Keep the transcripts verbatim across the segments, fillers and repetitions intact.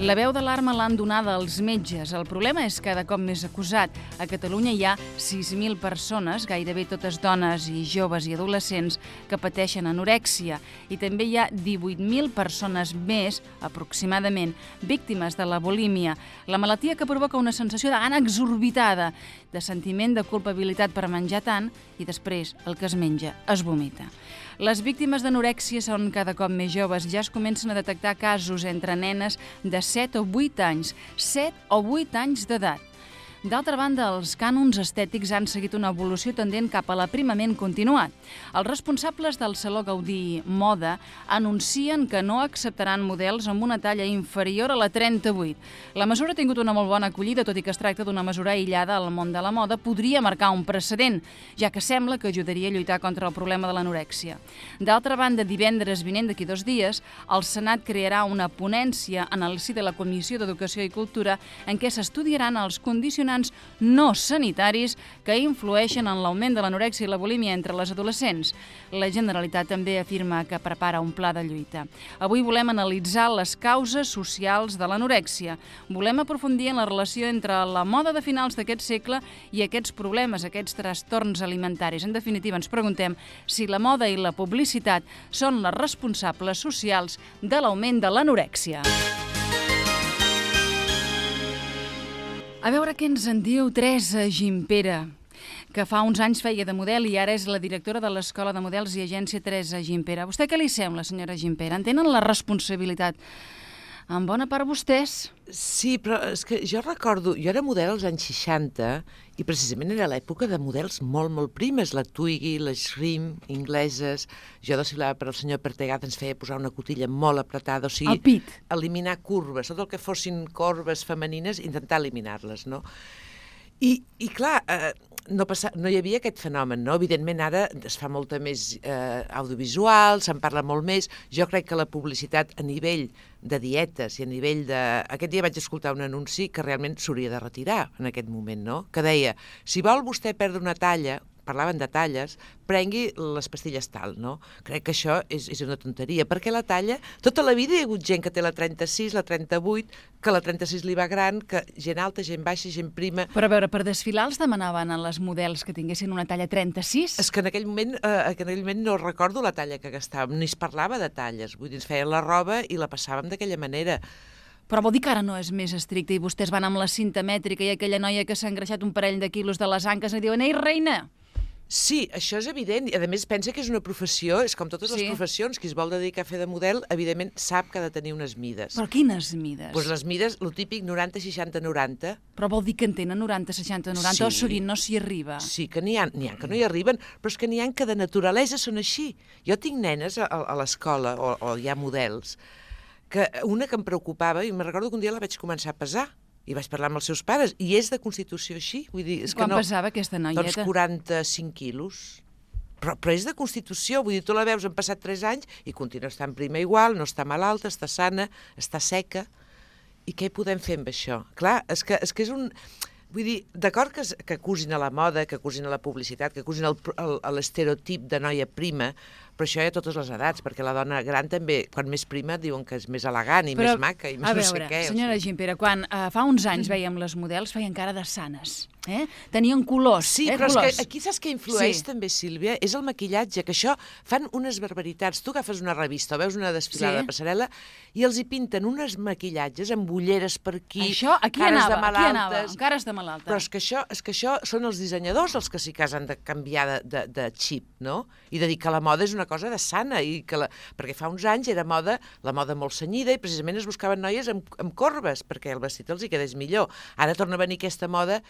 La veu d'alarma l'han donada als metges. El problema és cada cop més acusat. A Catalunya hi ha sis mil persones, gairebé totes dones i joves i adolescents, que pateixen anorèxia. I també hi ha divuit mil persones més, aproximadament, víctimes de la bulímia, la malaltia que provoca una sensació de gana exorbitada, de sentiment de culpabilitat per menjar tant i després el que es menja es vomita. Les víctimes d'anorèxia són cada cop més joves. Ja es comencen a detectar casos entre nenes de set o vuit anys, set o vuit anys d'edat. D'altra banda, els cànons estètics han seguit una evolució tendent cap a l'aprimament continuat. Els responsables del Saló Gaudí Moda anuncien que no acceptaran models amb una talla inferior a la trenta-vuit. La mesura ha tingut una molt bona acollida, tot i que es tracta d'una mesura aïllada al món de la moda, podria marcar un precedent, ja que sembla que ajudaria a lluitar contra el problema de l'anorèxia. D'altra banda, divendres vinent, d'aquí dos dies, el Senat crearà una ponència en el si de la Comissió d'Educació i Cultura en què s'estudiaran els condicionants no sanitaris que influeixen en l'augment de l'anorèxia i la bulímia entre les adolescents. La Generalitat també afirma que prepara un pla de lluita. Avui volem analitzar les causes socials de l'anorèxia. Volem aprofundir en la relació entre la moda de finals d'aquest segle i aquests problemes, aquests trastorns alimentaris. En definitiva, ens preguntem si la moda i la publicitat són les responsables socials de l'augment de l'anorèxia. A veure què ens en diu Teresa Gimpera, que fa uns anys feia de model i ara és la directora de l'Escola de Models i Agència Teresa Gimpera. A vostè què li sembla, senyora Gimpera? En tenen la responsabilitat? En bona part vostès? Sí, però és que jo recordo, jo era model als anys seixanta i precisament era l'època de models molt, molt primes, la Twiggy, les Shrim, ingleses, jo desfilava per el senyor Pertegat, ens feia posar una cotilla molt apretada, o sigui, el pit. Eliminar curves, tot el que fossin corbes femenines, intentar eliminar-les, no? I, i clar, eh, no, passa, no hi havia aquest fenomen, no? Evidentment ara es fa molta més eh, audiovisual, se'n parla molt més. Jo crec que la publicitat a nivell de dietes i a nivell de... Aquest dia vaig escoltar un anunci que realment s'hauria de retirar en aquest moment, no? Que deia, si vol vostè perdre una talla, parlaven de talles, prengui les pastilles tal, no? Crec que això és, és una tonteria, perquè la talla, tota la vida hi ha hagut gent que té la trenta-sis, la trenta-vuit, que la trenta-sis li va gran, que gent alta, gent baixa, gent prima... Però a veure, per desfilar els demanaven a les models que tinguessin una talla trenta-sis? És que en aquell moment, eh, en aquell moment no recordo la talla que gastàvem, ni es parlava de talles, vull dir, ens feien la roba i la passàvem d'aquella manera. Però vol dir que ara no és més estricte i vostès van amb la cinta mètrica i aquella noia que s'ha engreixat un parell de quilos de les anques i diuen, ei, reina! Sí, això és evident, i a més pensa que és una professió, és com totes les sí. professions, qui es vol dedicar a fer de model, evidentment sap que ha de tenir unes mides. Però quines mides? Doncs les mides, lo típic, noranta, seixanta, noranta. Però vol dir que en tenen noranta, seixanta, noranta, sí. O sovint no s'hi arriba? Sí, que n'hi ha, n'hi ha que no hi arriben, però és que n'hi ha que de naturalesa són així. Jo tinc nenes a, a l'escola, o, o hi ha models, que una que em preocupava, i me'n recordo que un dia la vaig començar a pesar, i vaig parlar amb els seus pares, i és de constitució així. Vull dir, és Quan que no, pesava aquesta noieta? Doncs quaranta-cinc quilos. Però, però és de constitució, vull dir, tu la veus, han passat tres anys i continua estant prima igual, no està malalta, està sana, està seca. I què podem fer amb això? Clar, és que és, que és un... Vull dir, d'acord que, que acusin a la moda, que acusin a la publicitat, que acusin l'estereotip de noia prima, però això hi ha a totes les edats, perquè la dona gran també, quan més prima, diuen que és més elegant i però, més maca i més veure, no sé què. Senyora Gimpera, quan uh, fa uns anys veiem les models, feien cara de sanes. Eh? Tenien colors. Sí, eh, però colors. És que aquí saps què influeix sí. també, Sílvia? És el maquillatge, que això fan unes barbaritats. Tu agafes una revista o veus una desfilada sí. de passarel·la i els hi pinten unes maquillatges amb ulleres per aquí, això, aquí cares anava, de malaltes. Aquí anava, cares de malalta. Però és que, això, és que això són els dissenyadors els que sí que han de canviar de, de, de xip, no? I de dir que la moda és una cosa de sana, i que la... perquè fa uns anys era moda, la moda molt cenyida, i precisament es buscaven noies amb, amb corbes, perquè el vestit els hi quedés millor. Ara torna a venir aquesta moda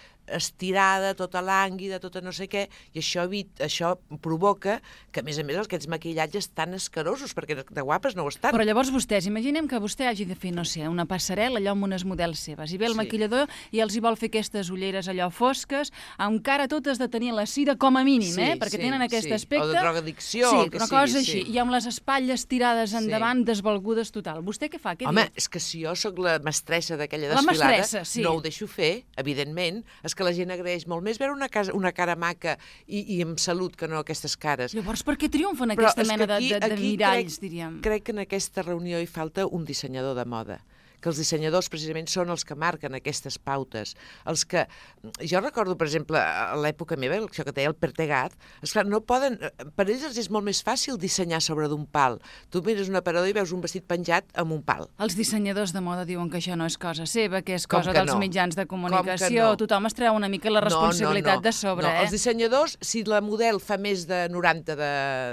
estirada, tota lànguida, tota no sé què, i això, això provoca que, a més a més, aquests maquillatges tan escarosos, perquè de guapes no ho estan. Però llavors vostès, imaginem que vostè hagi de fer, no sé, una passarel·la allò amb unes models seves, i ve el sí. maquillador i els hi vol fer aquestes ulleres allò fosques, encara totes de tenir la cira com a mínim, sí, eh? Perquè sí, tenen aquest sí. aspecte... O de drogadicció, sí, o que una sigui, cosa així, sí. i amb les espatlles tirades endavant, sí. desvalgudes total. Vostè què fa? Què Home, diu? És que si jo sóc la mestressa d'aquella la desfilada, mestressa, sí. no ho deixo fer, evidentment. És que la gent agraeix molt més veure una, casa, una cara maca i, i amb salut que no aquestes cares. Llavors, per què triomfen aquesta mena aquí, de, de, de miralls, crec, diríem? Crec que en aquesta reunió hi falta un dissenyador de moda, que els dissenyadors precisament són els que marquen aquestes pautes. Els que... Jo recordo, per exemple, a l'època meva, això que deia el Pertegat, esclar, no poden... Per ells els és molt més fàcil dissenyar sobre d'un pal. Tu mires un aparador i veus un vestit penjat amb un pal. Els dissenyadors de moda diuen que això no és cosa seva, que és Com cosa que dels no? mitjans de Com que comunicació. no? Tothom es treu una mica la responsabilitat no, no, no. de sobre, no, eh? Els dissenyadors, si la model fa més de noranta de,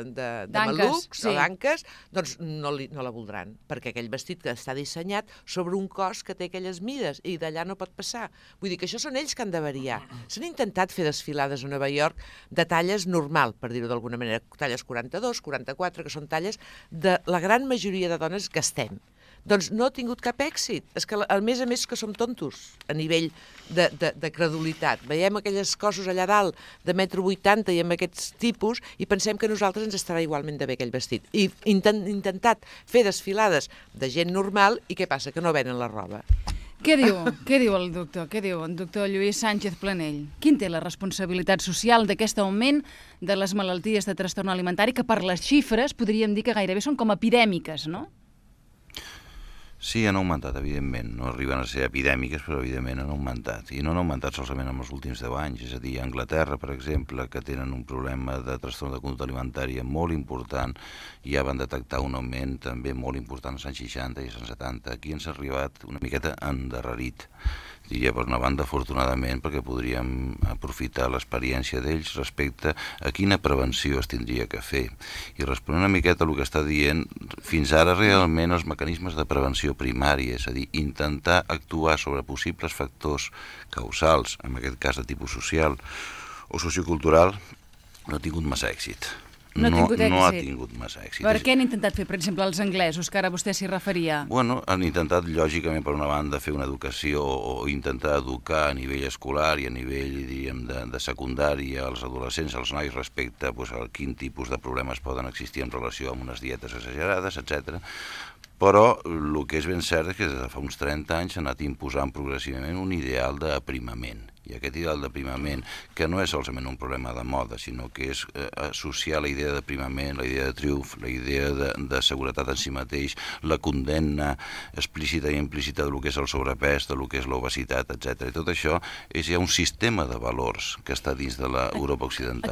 de, de D'anques, malucs sí. o d'anques, doncs no, li, no la voldran, perquè aquell vestit que està dissenyat sobre un cos que té aquelles mides i d'allà no pot passar. Vull dir que això són ells que han de variar. S'han intentat fer desfilades a Nova York de talles normal, per dir-ho d'alguna manera, talles quaranta-dos, quaranta-quatre, que són talles de la gran majoria de dones que estem. Doncs no ha tingut cap èxit. És que, a més a més, que som tontos a nivell de, de, de credulitat. Veiem aquelles cossos allà dalt de metro vuitanta i amb aquests tipus i pensem que a nosaltres ens estarà igualment de bé aquell vestit. I intent, intentat fer desfilades de gent normal i què passa? Que no venen la roba. Què diu? Què diu el doctor? Què diu el doctor Lluís Sánchez Planell? Quin té la responsabilitat social d'aquest augment de les malalties de trastorn alimentari que per les xifres podríem dir que gairebé són com epidèmiques, no? Sí, han augmentat, evidentment. No arriben a ser epidèmiques, però evidentment han augmentat. I no han augmentat solament en els últims deu anys. És a dir, a Anglaterra, per exemple, que tenen un problema de trastorn de conducta alimentària molt important, ja van detectar un augment també molt important als anys seixanta i als anys setanta. Aquí ens ha arribat una miqueta endarrerit. Diria, per una banda, afortunadament, perquè podríem aprofitar l'experiència d'ells respecte a quina prevenció es tindria que fer. I responent una miqueta al que està dient, fins ara realment els mecanismes de prevenció primària, és a dir, intentar actuar sobre possibles factors causals, en aquest cas de tipus social o sociocultural, no ha tingut massa èxit. No, no, ha no ha tingut massa èxit. Per què han intentat fer, per exemple, els anglesos, que ara vostè s'hi referia? Bueno, han intentat, lògicament, per una banda, fer una educació o intentar educar a nivell escolar i a nivell, diríem, de, de secundària als adolescents, als nois, respecte pues, a quin tipus de problemes poden existir en relació amb unes dietes exagerades, etcètera. Però el que és ben cert és que des de fa uns trenta anys s'ha anat imposant progressivament un ideal d'aprimament. I aquest ideal d'aprimament, que no és solament un problema de moda, sinó que és eh, associar la idea d'aprimament, la idea de triomf, la idea de, de seguretat en si mateix, la condemna explícita i implícita del que és el sobrepès, del que és l'obesitat, etcètera. I tot això és ja un sistema de valors que està dins de l'Europa occidental.